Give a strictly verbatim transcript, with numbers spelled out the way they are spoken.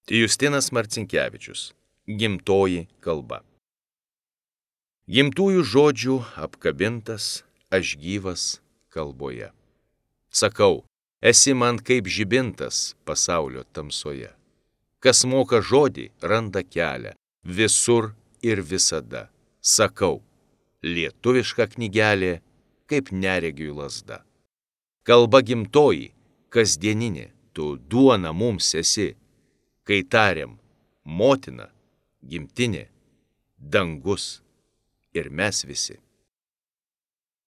Justinas Marcinkevičius. Gimtoji kalba. Gimtųjų žodžių apkabintas, aš gyvas kalboje. Sakau, esi man kaip žibintas pasaulio tamsoje. Kas moka žodį, randa kelią, visur ir visada. Sakau, lietuviška knygelė, kaip neregiui lazda. Kalba gimtoji, kasdieninė, tu duona mums esi. Kai tariam, motina, gimtinė, dangus ir mes visi.